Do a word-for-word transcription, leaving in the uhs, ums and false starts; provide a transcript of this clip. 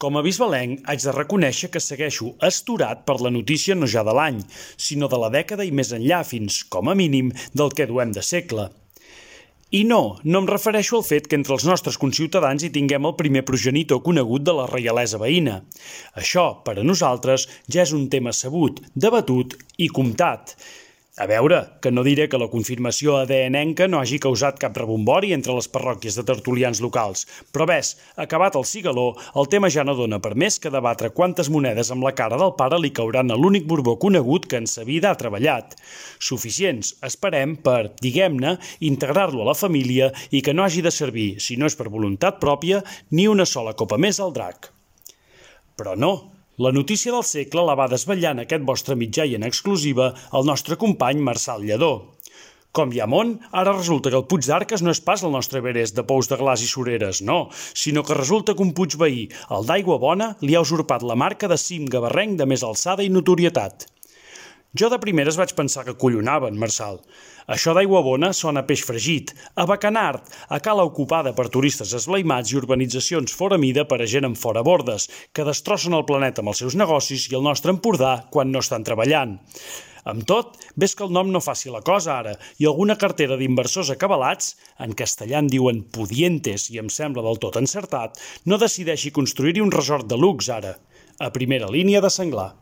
Com a bisbalenc, haig de reconèixer que segueixo astorat per la notícia no ja de l'any, sinó de la dècada i més enllà fins, com a mínim, del que duem de segle. I no, no em refereixo al fet que entre els nostres conciutadans hi tinguem el primer progenitor conegut de la reialesa veïna. Això, per a nosaltres, ja és un tema sabut, debatut i comptat. A veure, que no diré que la confirmació A D N-enca no hagi causat cap rebombori entre les parròquies de tertulians locals, però ves, acabat el cigaló, el tema ja no dona per més que debatre quantes monedes amb la cara del pare li cauran a l'únic Borbó conegut que en sa vida ha treballat. Suficients, esperem, per, diguem-ne, integrar-lo a la família i que no hagi de servir, si no és per voluntat pròpia, ni una sola copa més al drac. Però no. La notícia del segle la va desvetllar en aquest vostre mitjà i en exclusiva el nostre company Marçal Lledó. Com hi ha món, ara resulta que el Puig d'Arques no és pas el nostre Everest de pous de glaç i sureres, no, sinó que resulta que un Puig veí, el d'Aigua Bona, li ha usurpat la marca de cim gavarrenc de més alçada i notorietat. Jo de primeres vaig pensar que collonaven, Marçal. Això d'Aigua Bona sona a peix fregit, a bacanard, a cala ocupada per turistes esblaimats i urbanitzacions fora mida per a gent amb fora bordes, que destrossen el planeta amb els seus negocis i el nostre Empordà quan no estan treballant. Amb tot, ves que el nom no faci la cosa ara, i alguna cartera d'inversors acabalats, en castellà en diuen pudientes i em sembla del tot encertat, no decideixi construir-hi un resort de luxe ara, a primera línia de senglar.